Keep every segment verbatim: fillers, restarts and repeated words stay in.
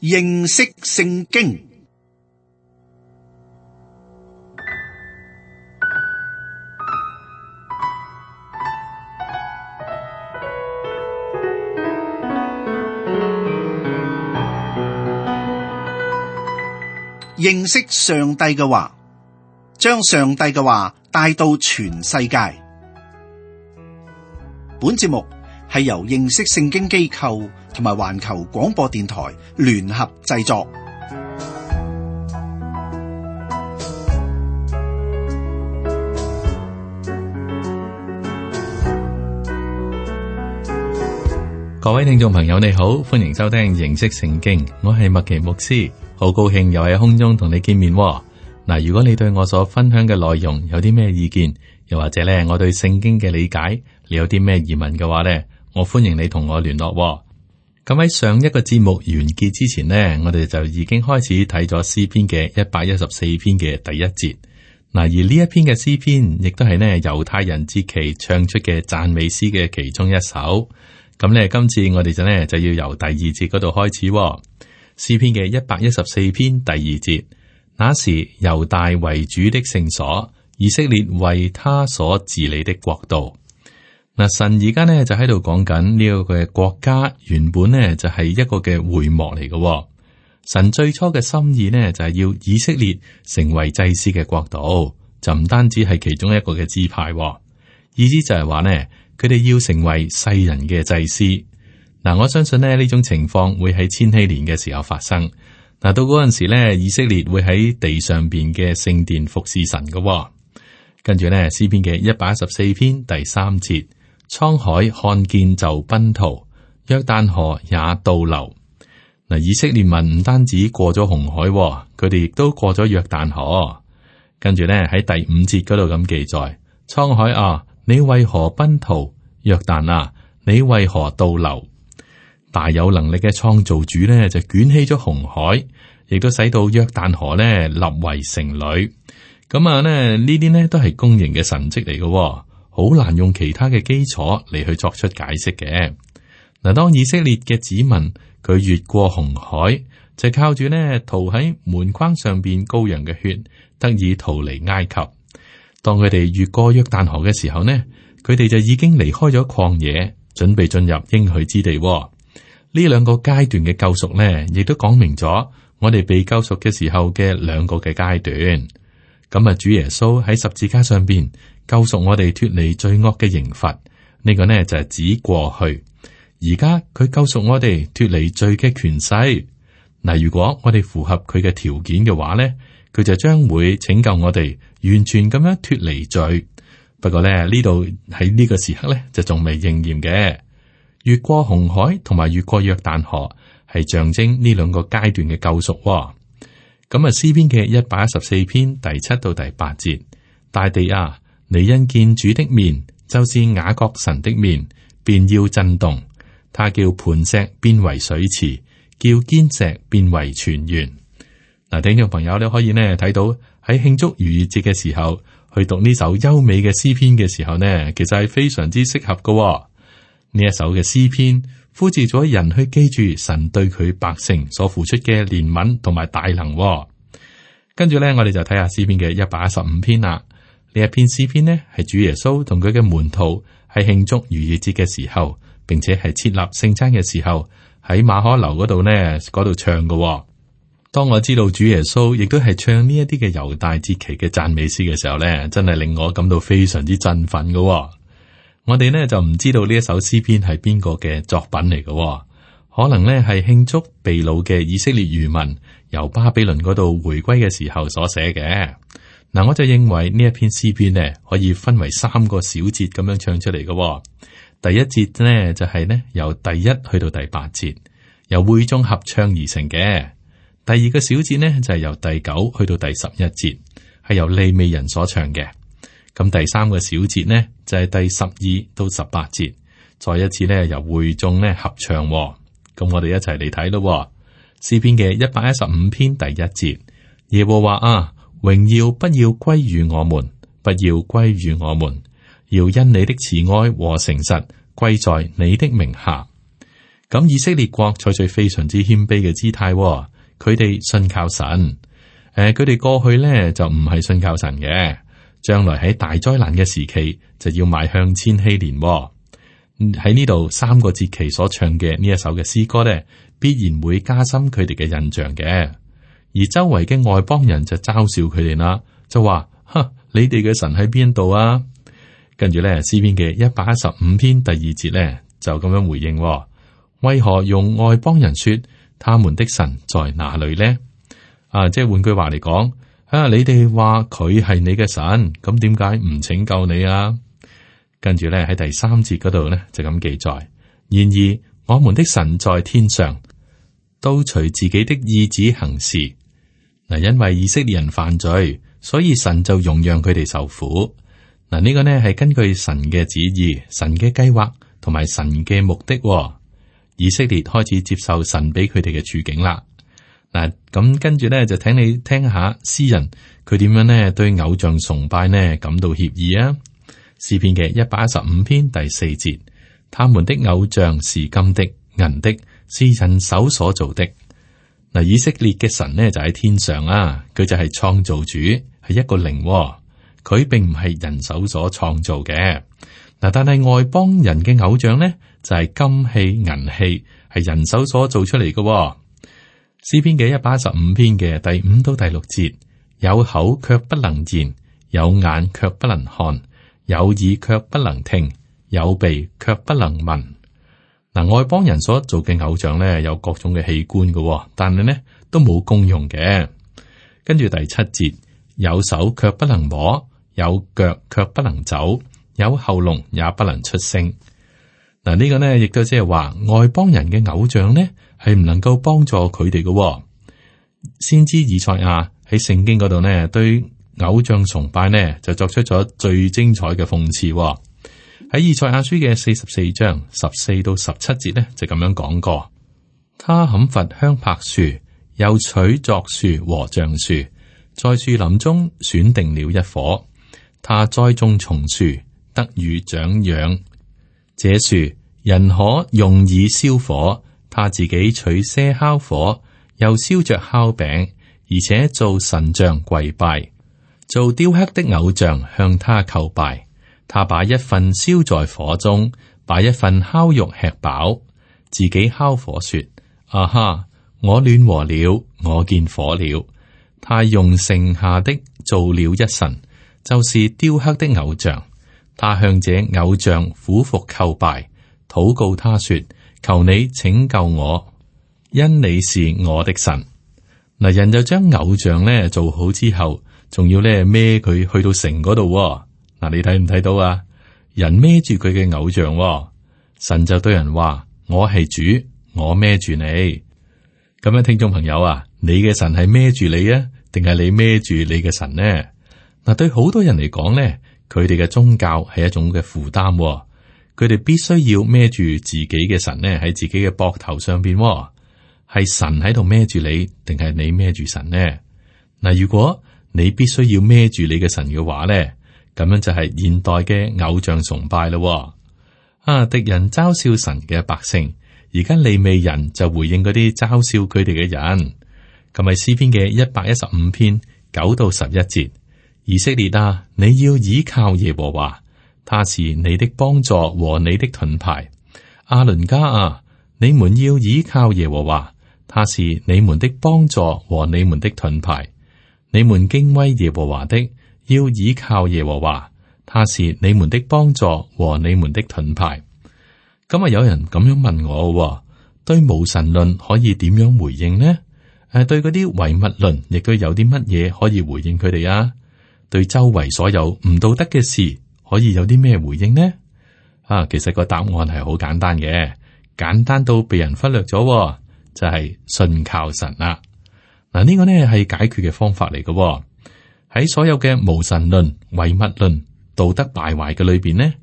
認識聖經。認識上帝嘅話，將上帝嘅話帶到全世界。本節目係由認識聖經機構同埋環球廣播電台聯合製作。各位聽眾朋友，你好，歡迎收聽認識聖經，我係麥奇牧師，好高興又喺空中同你見面。嗱，如果你對我所分享嘅內容有啲咩意見，又或者咧我對聖經嘅理解，你有啲咩疑問嘅話咧，我歡迎你同我聯絡。咁喺上一個節目完結之前呢，我哋就已經開始睇咗詩篇嘅一百一十四篇嘅第一節。嗱，而呢一篇嘅詩篇亦都係呢猶太人節期唱出嘅讚美詩嘅其中一首。咁咧，今次我哋就呢就要由第二節嗰度開始。詩篇嘅一百一十四篇第二節，那時猶大為主的聖所，以色列為他所治理的國度。嗱，神而家呢就喺度講緊呢個嘅國家，原本呢就係一個嘅會幕嚟嘅。神最初嘅心意呢就係要以色列成為祭司嘅國度，就唔單止係其中一個嘅支派，意思就係話呢。佢哋要成為世人嘅祭司。嗱，我相信咧呢種情況會喺千禧年嘅時候發生。嗱，到嗰陣時咧，以色列會喺地上邊嘅聖殿服侍神嘅。跟住咧，詩篇嘅一百一十四篇第三節，滄海看見就奔逃，約旦河也倒流。嗱，以色列民唔單止過咗紅海，佢哋亦都過咗約旦河。跟住咧喺第五節嗰度咁記載，滄海啊，你為何奔逃？約旦啊，你為何倒流？大有能力嘅創造主呢，就捲起咗紅海，亦都使到約旦河呢立為城壘。咁啊，呢呢啲呢都係公認嘅神蹟嚟嘅，好難用其他嘅基礎嚟去作出解釋嘅。嗱，當以色列嘅子民佢越過紅海，就靠住呢塗喺門框上邊羔羊嘅血，得以逃離埃及。當佢哋越過約旦河嘅時候呢，佢哋就已經離開咗曠野，準備進入應許之地。呢兩個階段嘅救贖呢，亦都講明咗我哋被救贖嘅時候嘅兩個嘅階段。咁啊，主耶穌喺十字架上邊救贖我哋脫離罪惡嘅刑罰，呢個呢就係指過去。而家佢救贖我哋脫離罪嘅權勢。嗱，如果我哋符合佢嘅條件嘅話呢，佢就將會拯救我哋完全咁樣脫離罪。不過咧，呢度喺呢個時刻咧就仲未應驗嘅。越過紅海同埋越過約旦河係象徵呢兩個階段嘅救贖。咁啊，詩篇嘅一百一十四篇第七到第八節，大地啊，你因見主的面，就是雅各神的面，便要震動。他叫磐石變為水池，叫堅石變為泉源。嗱，聽眾朋友，你可以呢睇到喺慶祝逾越節嘅時候，去讀呢首優美嘅詩篇嘅時候呢，其實係非常之適合嘅。呢一首嘅詩篇呼召咗人去記住神對佢百姓所付出嘅憐憫同埋大能。跟住呢，我哋就睇下詩篇嘅一百一十五篇啦。呢一篇詩篇呢，係主耶穌同佢嘅門徒喺慶祝逾越節嘅時候，並且係設立聖餐嘅時候，喺馬可樓嗰度呢嗰度唱嘅。當我知道主耶穌亦都係唱呢一啲嘅猶大節期嘅讚美詩嘅時候呢，真係令我感到非常之振奮嘅。我哋呢就唔知道呢一首詩篇係邊個嘅作品嚟嘅，可能呢係慶祝被擄嘅以色列餘民由巴比倫嗰度回歸嘅時候所寫嘅。嗱，我就認為呢一篇詩篇呢可以分為三個小節咁樣唱出嚟嘅。第一節呢就係呢由第一去到第八節，由會眾合唱而成嘅。第二個小節呢，就係由第九去到第十一節，係由利未人所唱嘅。咁第三個小節呢，就係第十二到十八節，再一次呢，由會眾呢合唱。咁我哋一齊嚟睇咯。詩篇嘅一百一十五篇第一節，耶和華啊，榮耀不要歸於我們，不要歸於我們，要因你的慈愛和誠實歸在你的名下。咁以色列國採取非常之謙卑嘅姿態，佢哋信靠神。誒、呃，佢哋過去咧就唔係信靠神嘅，將來喺大災難嘅時期就要邁向千禧年。喺呢度三個節期所唱嘅呢一首嘅詩歌咧，必然會加深佢哋嘅印象嘅。而周圍嘅外邦人就嘲笑佢哋啦，就話：哼，你哋嘅神喺邊度啊？跟住咧，詩篇嘅一百一十五篇第二節咧，就咁樣回應：為何用外邦人說他們的神在哪裏呢？啊，即係換句話嚟講，啊，你哋話佢係你嘅神，咁點解唔拯救你啊？跟住咧喺第三節嗰度咧就咁記載：然而我們的神在天上，都隨自己的意志行事。嗱，因為以色列人犯罪，所以神就容讓佢哋受苦。嗱，呢個呢係根據神嘅旨意、神嘅計劃同埋神嘅目的。以色列開始接受神俾佢哋嘅處境啦。嗱，咁跟住咧就請你聽下詩人佢點樣呢對偶像崇拜呢感到歉意啊。詩篇嘅一百一十五篇第四節，他們的偶像是金的、銀的，是人手所做的。嗱，以色列嘅神呢就喺天上啊，佢就係創造主，係一個靈，佢並唔係人手所創造嘅。嗱，但係外邦人嘅偶像呢就係金器、銀器，係人手所做出嚟嘅。詩篇嘅一百一十五篇嘅第五到第六節，有口卻不能言，有眼卻不能看，有耳卻不能聽，有鼻卻不能聞。嗱，外邦人所做嘅偶像咧，有各種嘅器官嘅，但係咧都冇功用嘅。跟住第七節，有手卻不能摸，有腳卻不能走，有喉嚨也不能出聲。嗱，呢個呢亦都即係話外邦人嘅偶像呢係唔能夠幫助佢哋嘅。先知以賽亞喺聖經嗰度呢，對偶像崇拜呢就作出咗最精彩嘅諷刺。喺以賽亞書嘅四十四章十四到十七節呢，就咁樣講過：他砍伐香柏樹，又取柞樹和橡樹，在樹林中選定了一棵。他栽種松樹，得雨長養。這樹人可用以燒火，他自己取些烤火，又燒着烤餅，而且做神像跪拜，做雕刻的偶像向他叩拜。他把一份燒在火中，把一份烤肉吃飽，自己烤火說：啊哈，我暖和了，我見火了。他用剩下的做了一神，就是雕刻的偶像。他向這偶像俯伏叩拜，禱告他說：求你拯救我，因你是我的神。嗱，人就將偶像咧做好之後，仲要咧孭佢去到城嗰度。嗱，你睇唔睇到啊？人孭住佢嘅偶像，神就對人話：我係主，我孭住你。咁樣，聽眾朋友啊，你嘅神係孭住你啊，定係你孭住你嘅神呢？嗱，對好多人嚟講咧，佢哋嘅宗教係一種嘅負擔，佢哋必須要孭住自己嘅神咧喺自己嘅膊頭上邊。係神喺度孭住你，定係你孭住神呢？嗱，如果你必須要孭住你嘅神嘅話咧，咁樣就係現代嘅偶像崇拜咯。啊，敵人嘲笑神嘅百姓，而家利未人就回應嗰啲嘲笑佢哋嘅人。咁係詩篇嘅一百一十五篇九到十一節，以色列啊，你要倚靠耶和華，他是你的幫助和你的盾牌。亞倫家啊，你們要倚靠耶和華，他是你們的幫助和你們的盾牌。你們敬畏耶和華的，要倚靠耶和華，他是你們的幫助和你們的盾牌。咁啊，有人咁樣問我，對無神論可以點樣回應呢？誒，對嗰啲唯物論亦都有啲乜嘢可以回應佢哋啊？對周圍所有唔道德嘅事可以有啲咩回應呢？啊，其實個答案係好簡單嘅，簡單到被人忽略咗，就係信靠神啦。嗱，呢個呢係解決嘅方法嚟嘅。喺所有嘅無神論、唯物論、道德敗壞嘅裏邊呢，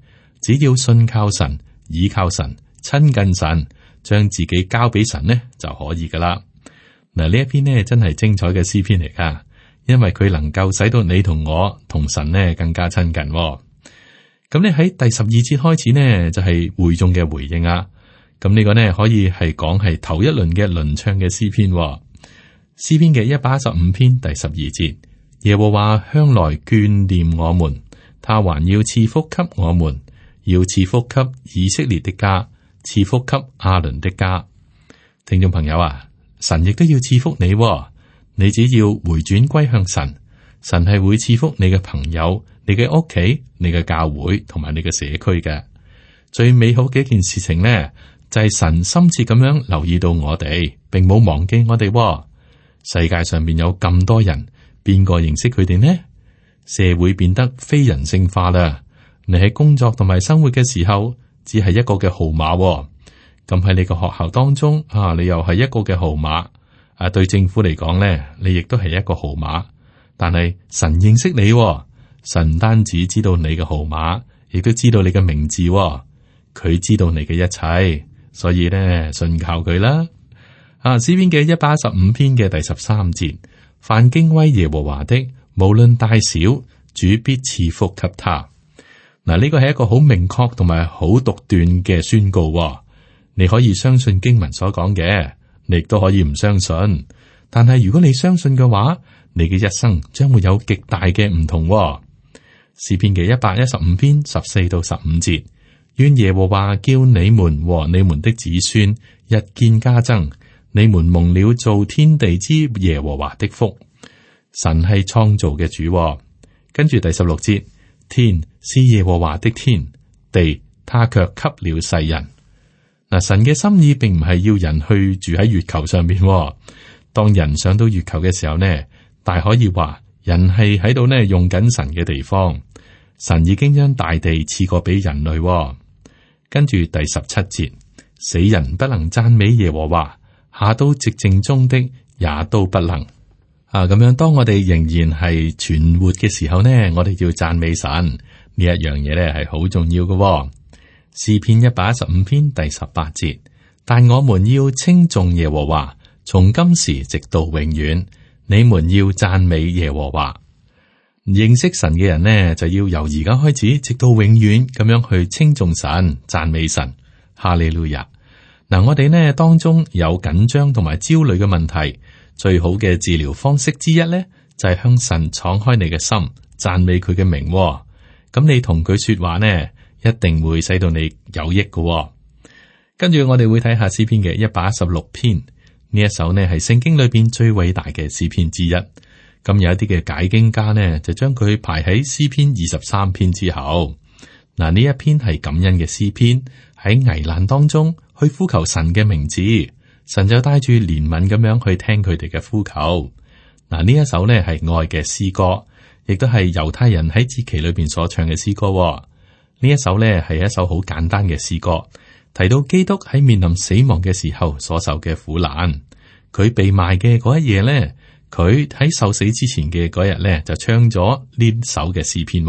只要信靠神、倚靠神、親近神，將自己交俾神呢就可以噶啦。嗱，呢一篇呢真係精彩嘅詩篇嚟噶，因為佢能夠使到你同我同神呢更加親近。咁你喺第十二節開始呢，就係會眾嘅回應啊。咁呢個呢，可以係講係頭一輪嘅輪唱嘅詩篇，詩篇嘅一百一十五篇第十二節，耶和華向來眷念我們，他還要賜福給我們，要賜福給以色列的家，賜福給亞倫的家。聽眾朋友啊，神亦都要賜福你，你只要回轉歸向神，神係會賜福你嘅朋友、你嘅屋企、你嘅教會同埋你嘅社區嘅。最美好嘅一件事情呢，就係神深切咁樣留意到我哋，並冇忘記我哋。世界上面有咁多人，邊個認識佢哋呢？社會變得非人性化啦。你喺工作同埋生活嘅時候，只係一個嘅號碼。咁喺你個學校當中啊，你又係一個嘅號碼。啊，對政府嚟講咧，你亦都係一個號碼。但係神認識你，神唔單止知道你嘅號碼，亦都知道你嘅名字。佢知道你嘅一切，所以咧，信靠佢啦。啊，詩篇嘅一百一十五篇嘅第十三節，凡敬畏耶和華的，無論大小，主必賜福給他。嗱，呢個係一個好明確同埋好獨斷嘅宣告。你可以相信經文所講嘅，你亦都可以唔相信。但係如果你相信嘅話，你嘅一生將會有極大嘅唔同。詩篇嘅一百一十五篇十四到十五節，願耶和華叫你們和你們的子孫日見加增。你們蒙了造天地之耶和華的福。神係創造嘅主。跟住第十六節，天是耶和華的天，地他卻給了世人。嗱，神嘅心意並唔係要人去住喺月球上邊。當人上到月球嘅時候呢，大可以話人係喺度呢用緊神嘅地方。神已經將大地賜過俾人類。跟住第十七節，死人不能讚美耶和華，下到寂靜中的也都不能。啊，咁樣當我哋仍然係存活嘅時候呢，我哋要讚美神呢一樣嘢咧係好重要嘅。詩篇一百一十五篇第十八節，但我們要稱頌耶和華，從今時直到永遠。你們要讚美耶和華。認識神嘅人呢，就要由而家開始，直到永遠咁樣去稱頌神、讚美神。哈利路亞。嗱，我哋呢當中有緊張同埋焦慮嘅問題，最好嘅治療方式之一呢，就係向神敞開你嘅心，讚美佢嘅名。咁你同佢說話呢，一定會使到你有益嘅。跟住我哋會睇下詩篇嘅一百一十六篇，呢一首呢係聖經裏邊最偉大嘅詩篇之一。咁有一啲嘅解經家呢，就將佢排喺詩篇二十三篇之後。嗱，呢一篇係感恩嘅詩篇，喺危難當中去呼求神嘅名字，神就帶住憐憫咁樣去聽佢哋嘅呼求。嗱，呢一首呢係愛嘅詩歌，亦都係猶太人喺節期裏邊所唱嘅詩歌。呢一首呢係一首好簡單嘅詩歌，提到基督喺面臨死亡嘅時候所受嘅苦難。佢被賣嘅嗰一夜呢，佢喺受死之前嘅嗰日呢，就唱咗呢首嘅詩篇。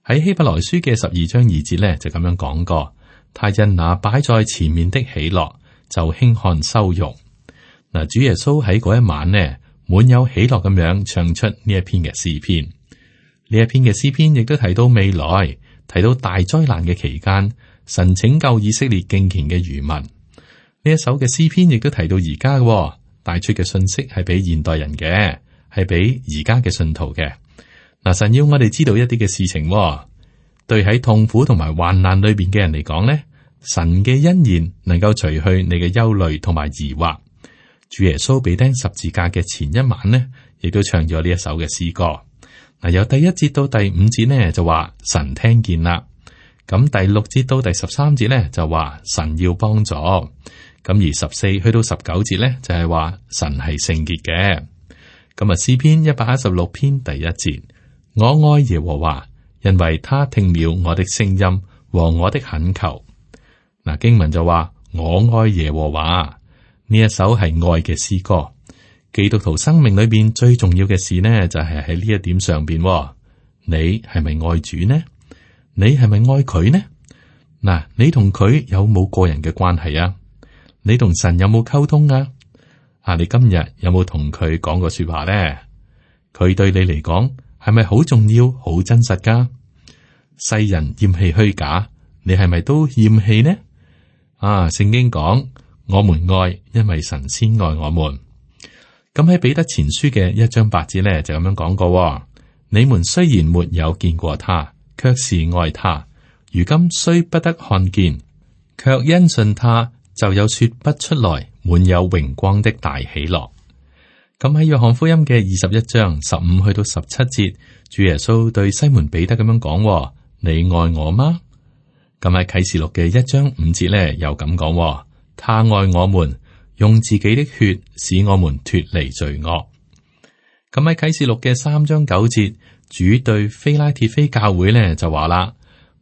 喺希伯來書嘅十二章二節呢，就咁樣講過。他因那擺在前面的喜樂，就輕看羞辱。嗱，主耶穌喺嗰一晚呢，滿有喜樂咁樣唱出呢一篇嘅詩篇。呢一篇嘅詩篇亦都提到未來，提到大災難嘅期間，神拯救以色列敬虔嘅餘民。呢一首嘅詩篇亦都提到而家嘅，帶出嘅信息係俾現代人嘅，係俾而家嘅信徒嘅。嗱，神要我哋知道一啲嘅事情。對喺痛苦同埋患難裏邊嘅人嚟講呢，神嘅恩言能夠除去你嘅憂慮同埋疑惑。主耶穌被釘十字架嘅前一晚呢，亦都唱咗呢一首嘅詩歌。嗱，由第一節到第五節呢，就話神聽見啦。咁第六節到第十三節呢，就話神要幫助。咁而十四去到十九節呢，就係話神係聖潔嘅。咁啊，詩篇一百一十六篇第一節，我愛耶和華，因為他聽了我的聲音和我的懇求。嗱，經文就話我愛耶和華，呢一首係愛嘅詩歌。基督徒生命裏邊最重要嘅事呢，就係喺呢一點上邊。你係咪愛主呢？你係咪愛佢呢？嗱，你同佢有冇個人嘅關係啊？你同神有冇溝通啊？啊，你今日有冇同佢講過說話呢？佢對你嚟講係咪好重要、好真實噶？世人厭棄虛假，你係咪都厭棄呢？啊，聖經講我們愛，因為神先愛我們。咁喺彼得前書嘅一章八節咧就咁樣講過：你們雖然沒有見過他，卻是愛他；如今雖不得看見，卻因信他，就有說不出來滿有榮光的大喜樂。咁喺約翰福音嘅二十一章十五去到十七節，主耶穌對西門彼得咁樣講：你愛我嗎？咁喺啟示錄嘅一章五節咧，又咁講：他愛我們，用自己的血使我們脫離罪惡。咁喺啟示錄嘅三章九節，主對非拉鐵非教會咧就話啦：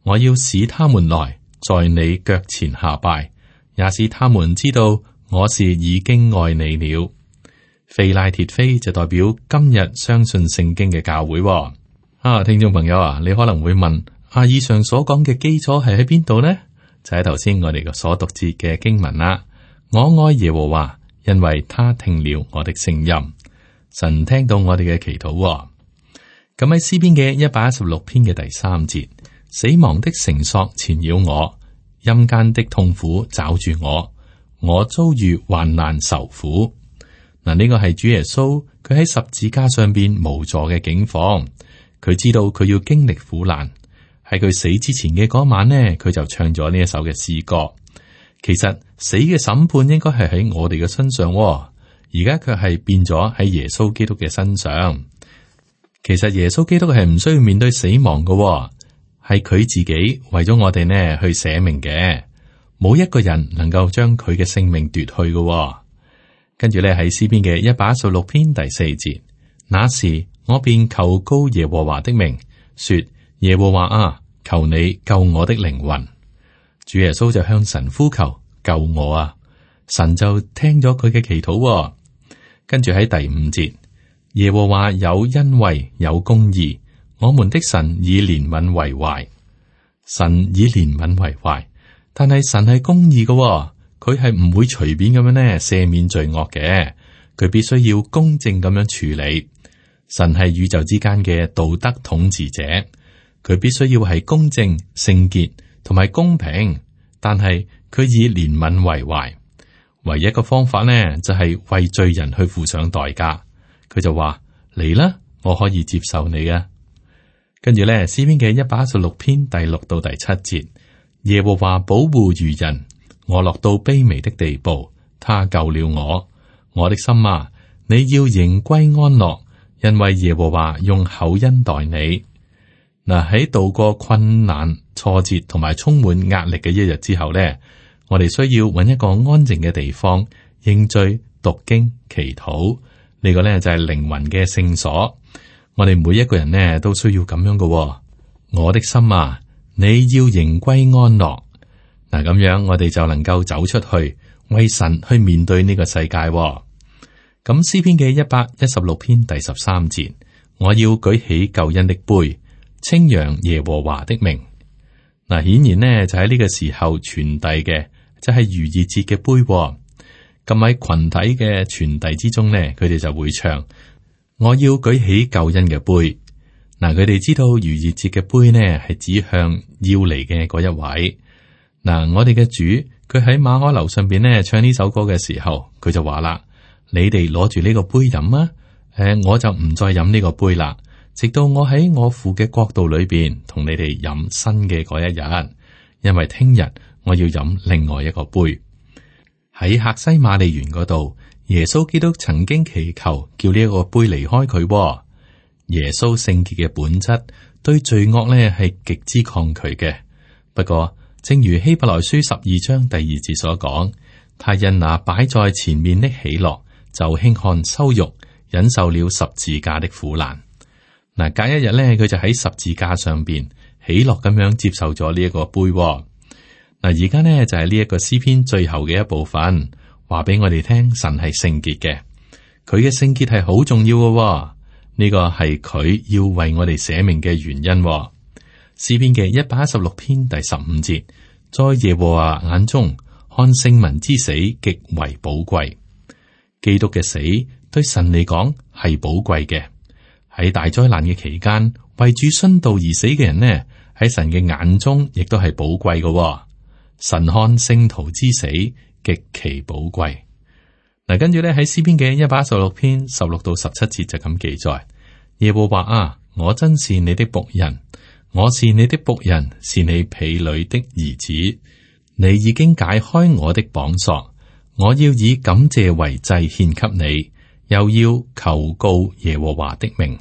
我要使他們來，在你腳前下拜，也使他們知道我是已經愛你了。非拉鐵非就代表今日相信聖經嘅教會。啊，聽眾朋友啊，你可能會問：啊，以上所講嘅基礎係喺邊度呢？就喺頭先我哋嘅所讀節嘅經文啦。我愛耶和華，因為他聽了我的聲音。神聽到我哋嘅祈禱。咁喺詩篇嘅一百一十六篇嘅第三節，死亡的繩索纏繞我，陰間的痛苦抓住我，我遭遇患難受苦。嗱，呢個係主耶穌佢喺十字架上邊無助嘅境況，佢知道佢要經歷苦難。喺佢死之前嘅嗰晚呢，佢就唱咗呢一首嘅詩歌。其實死嘅審判應該係喺我哋嘅身上，而家卻係變咗喺耶穌基督嘅身上。其實耶穌基督係唔需要面對死亡嘅，係佢自己為咗我哋呢去捨命嘅，冇一個人能夠將佢嘅性命奪去嘅。跟住咧喺詩篇嘅一百一十六篇第四節，那時我便求告耶和華的名，說：耶和華啊，求你救我的靈魂。主耶穌就向神呼求：救我啊！神就聽咗佢嘅祈禱。跟住喺第五節，耶和華有恩惠有公義，我們的神以憐憫為懷。神以憐憫為懷，但係神係公義嘅。佢係唔會隨便咁樣呢赦免罪惡嘅，佢必須要公正咁樣處理。神係宇宙之間嘅道德統治者，佢必須要係公正、聖潔同埋公平，但係佢以憐憫為懷。唯一嘅方法呢，就係、是、為罪人去付上代價。佢就話：嚟啦，我可以接受你啊。跟住咧，詩篇嘅一百一十六篇第六到第七節，耶和華保護愚人。我落到卑微的地步，他救了我。我的心啊，你要仍歸安樂，因為耶和華用厚恩待你。嗱，喺度過困難、挫折同埋充滿壓力嘅一日之後呢，我哋需要揾一個安靜嘅地方認罪、讀經、祈禱。呢個呢就係靈魂嘅聖所。我哋每一個人呢都需要咁樣嘅。我的心啊，你要仍歸安樂。嗱，咁樣我哋就能夠走出去，為神去面對呢個世界。咁詩篇嘅一百一十六篇第十三節，我要舉起救恩的杯，稱揚耶和華的名。嗱，顯然呢就喺呢個時候傳遞嘅，就係逾越節嘅杯。咁喺群體嘅傳遞之中呢，佢哋就會唱：我要舉起救恩嘅杯。嗱，佢哋知道逾越節嘅杯呢係指向要嚟嘅嗰一位。嗱，我哋嘅主佢喺馬可樓上邊咧唱呢首歌嘅時候，佢就話啦：你哋攞住呢個杯飲啊！誒，我就唔再飲呢個杯啦，直到我喺我父嘅國度裏邊同你哋飲新嘅嗰一日，因為聽日我要飲另外一個杯。喺客西馬利園嗰度，耶穌基督曾經祈求叫呢一個杯離開佢。耶穌聖潔嘅本質對罪惡咧係極之抗拒嘅，不過，正如希伯來書十二章第二節所講，他因那擺在前面的喜樂，就輕看羞辱，忍受了十字架的苦難。嗱，隔一日咧，佢就喺十字架上邊喜樂咁樣接受咗呢一個杯。嗱，而家呢，就係呢一個詩篇最後嘅一部分，話俾我哋聽，神係聖潔嘅，佢嘅聖潔係好重要嘅。呢個係佢要為我哋捨命嘅原因。詩篇嘅一百一十六篇第十五節，在耶和華眼中看聖民之死極為寶貴。基督嘅死對神嚟講係寶貴嘅。喺大災難嘅期間，為主殉道而死嘅人呢，喺神嘅眼中亦都係寶貴嘅。神看聖徒之死極其寶貴。嗱，跟住咧喺詩篇嘅一百一十六篇十六到十七節就咁記載：耶和華啊，我真是你的僕人，我是你的僕人，是你婢女的兒子。你已經解開我的綁索，我要以感謝為祭獻給你，又要求告耶和華的名。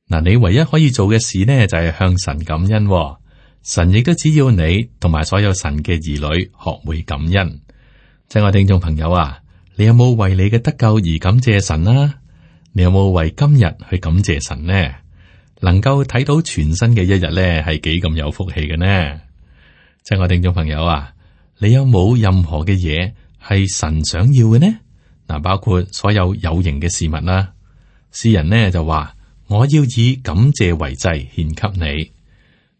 嗱，你唯一可以做嘅事呢，就係向神感恩。神亦都只要你同埋所有神嘅兒女學會感恩。親愛聽眾朋友啊，你有冇為你嘅得救而感謝神啊？你有冇為今日去感謝神呢？能夠睇到全新嘅一日呢，係幾咁有福氣嘅呢？親愛聽眾朋友啊，你有冇任何嘅嘢係神想要嘅呢？嗱，包括所有有形嘅事物啦。詩人呢就話：我要以感謝為祭獻給你。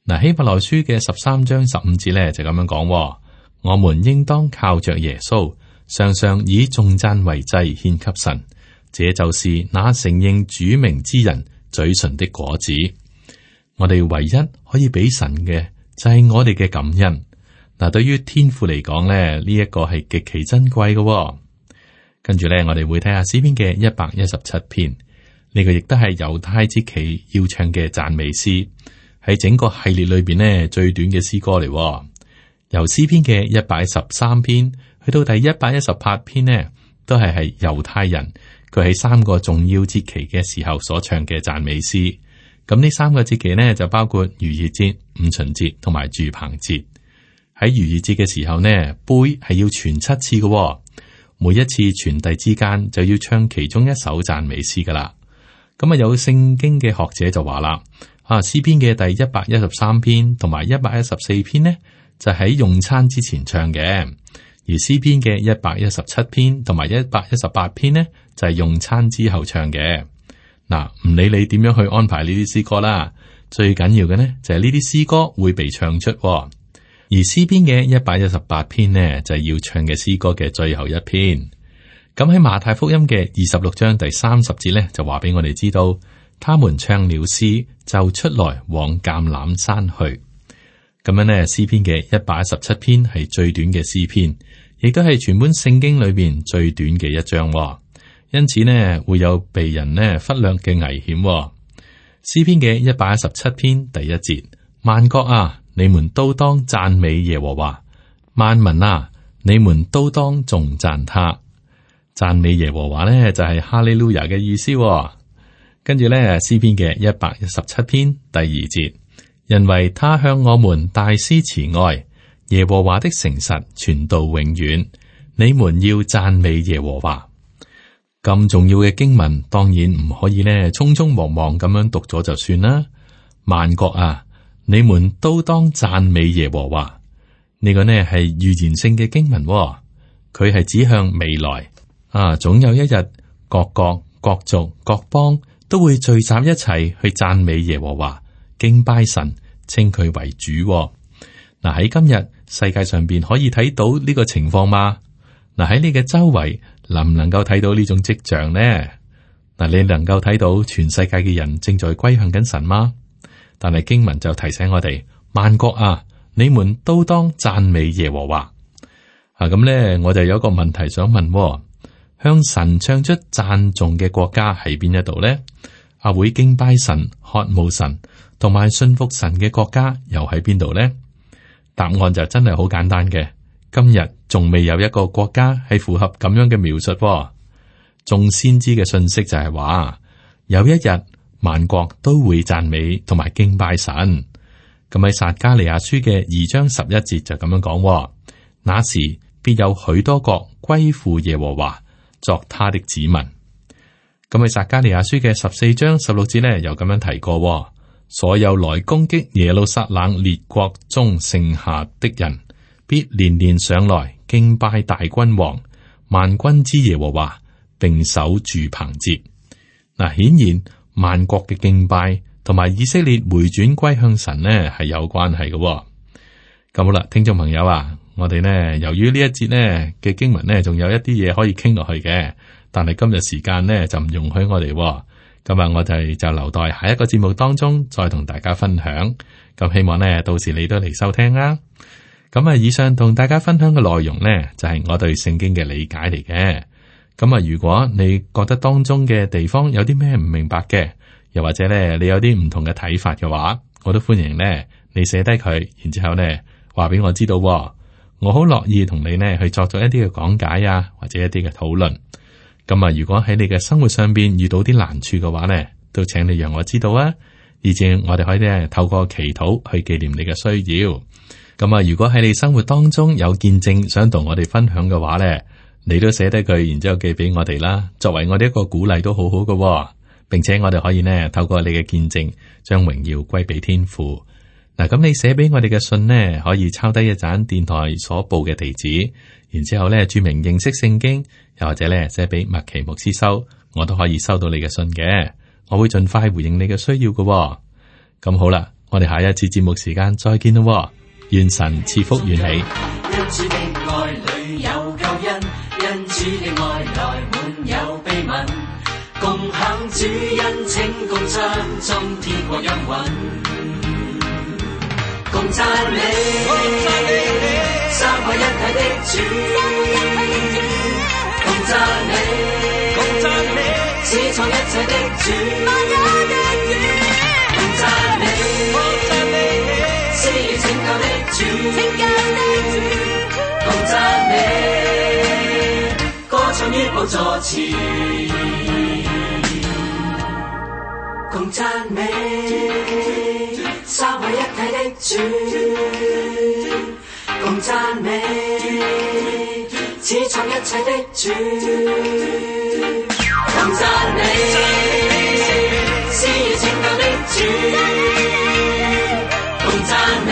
嗱，希伯來書嘅十三章十五節咧就咁樣講：我們應當靠着耶穌，常常以頌讚為祭獻給神，這就是那承認主名之人嘴唇的果子。我哋唯一可以俾神嘅就係我哋嘅感恩。嗱，對於天父嚟講咧，呢一個係極其珍貴嘅。跟住咧，我哋會睇下詩篇嘅一百一十七篇，呢個亦都係猶太節期要唱嘅讚美詩。喺整個系列裏邊呢，最短嘅詩歌嚟。由詩篇嘅一百一十三篇去到第一百一十八篇呢，都係係猶太人佢喺三個重要節期嘅時候所唱嘅讚美詩。咁呢三個節期呢，就包括逾越節、五旬節同埋住棚節。喺逾越節嘅時候呢，杯係要傳七次嘅，每一次傳遞之間就要唱其中一首讚美詩噶啦。咁啊，有聖經嘅學者就話啦。啊，詩篇嘅第一百一十三篇同埋一百一十四篇呢，就喺用餐之前唱嘅；而詩篇嘅一百一十七篇同埋一百一十八篇呢，就係用餐之後唱嘅。嗱，唔理你點樣去安排呢啲詩歌啦，最緊要嘅呢就係呢啲詩歌會被唱出。而詩篇嘅一百一十八篇呢，就係要唱嘅詩歌嘅最後一篇。咁喺馬太福音嘅二十六章第三十節呢，就話俾我哋知道。他們唱了詩，就出來往橄欖山去。咁樣呢，詩篇嘅一百一十七篇係最短嘅詩篇，亦都係全本聖經裏邊最短嘅一章。因此呢，會有被人呢忽略嘅危險。詩篇嘅一百一十七篇第一節：萬國啊，你們都當讚美耶和華；萬民啊，你們都當頌讚他。讚美耶和華呢，就係哈利路亞嘅意思。跟住咧，詩篇嘅一百一十七篇第二節，因為他向我們大施慈愛，耶和華的誠實傳到永遠。你們要讚美耶和華。咁重要嘅經文，當然唔可以咧匆匆忙忙咁樣讀咗就算啦。萬國啊，你們都當讚美耶和華。呢個呢係預言性嘅經文，佢係指向未來啊，總有一日各國、各族、各邦。都會聚集一齊去讚美耶和華，敬拜神，稱佢為主。嗱，喺今日世界上邊可以睇到呢個情況嗎？嗱，喺你嘅周圍能唔能夠睇到呢種跡象呢？嗱，你能夠睇到全世界嘅人正在歸向緊神嗎？但係經文就提醒我哋，萬國啊，你們都當讚美耶和華。啊，咁咧我就有一個問題想問。向神唱出讚頌嘅國家喺邊一度呢？啊，會敬拜神、渴慕神同埋信服神嘅國家又喺邊度呢？答案就真係好簡單嘅。今日仲未有一個國家係符合咁樣嘅描述。眾先知嘅信息就係話，有一日萬國都會讚美同埋敬拜神。咁喺撒迦利亞書嘅二章十一節就咁樣講：那時必有許多國歸附耶和華，作他的子民。咁喺撒迦利亞書嘅十四章十六節呢，又咁樣提過：所有來攻擊耶路撒冷列國中剩下的人，必連連上來敬拜大君王萬軍之耶和華，並守住棚節。嗱，顯然萬國嘅敬拜同埋以色列回轉歸向神呢係有關係嘅。咁好啦，聽眾朋友啊。我哋呢，由於呢一節呢嘅經文呢，仲有一啲嘢可以傾落去嘅，但係今日時間呢就唔容許我哋。今日我哋就留待下一個節目當中再同大家分享。咁希望呢，到時你都嚟收聽啦。咁啊，以上同大家分享嘅內容呢，就係我對聖經嘅理解嚟嘅。咁啊，如果你覺得當中嘅地方有啲咩唔明白嘅，又或者咧你有啲唔同嘅睇法嘅話，我都歡迎咧你寫低佢，然之後咧話俾我知道。我好樂意同你呢去作咗一啲嘅講解啊，或者一啲嘅討論。咁啊，如果喺你嘅生活上邊遇到啲難處嘅話呢，都請你讓我知道啊，而且我哋可以咧透過祈禱去紀念你嘅需要。咁啊，如果喺你生活當中有見證想同我哋分享嘅話呢，你都寫低佢，然之後寄俾我哋啦，作為我哋一個鼓勵都好好嘅，並且我哋可以呢透過你嘅見證，將榮耀歸俾天父。嗱，咁你寫俾我哋嘅信呢，可以抄低一盞電台所報嘅地址，然之後咧注明認識聖經，又或者咧寫俾麥奇牧師收，我都可以收到你嘅信嘅，我會盡快回應你嘅需要嘅。咁好啦，我哋下一次節目時間再見咯，願神賜福與你。因主的愛裏有救恩，因主的愛來滿有秘密，共享主恩情，共唱中天國音韻，共讚美三位一體的主，共讚美始創一切的主，共讚美施予拯救的主，共讚美歌唱於寶座前，共讚美三位一體的主，共讚美始創一切的主，共讚美施予拯救的主，共讚美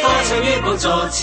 歌唱於寶座前。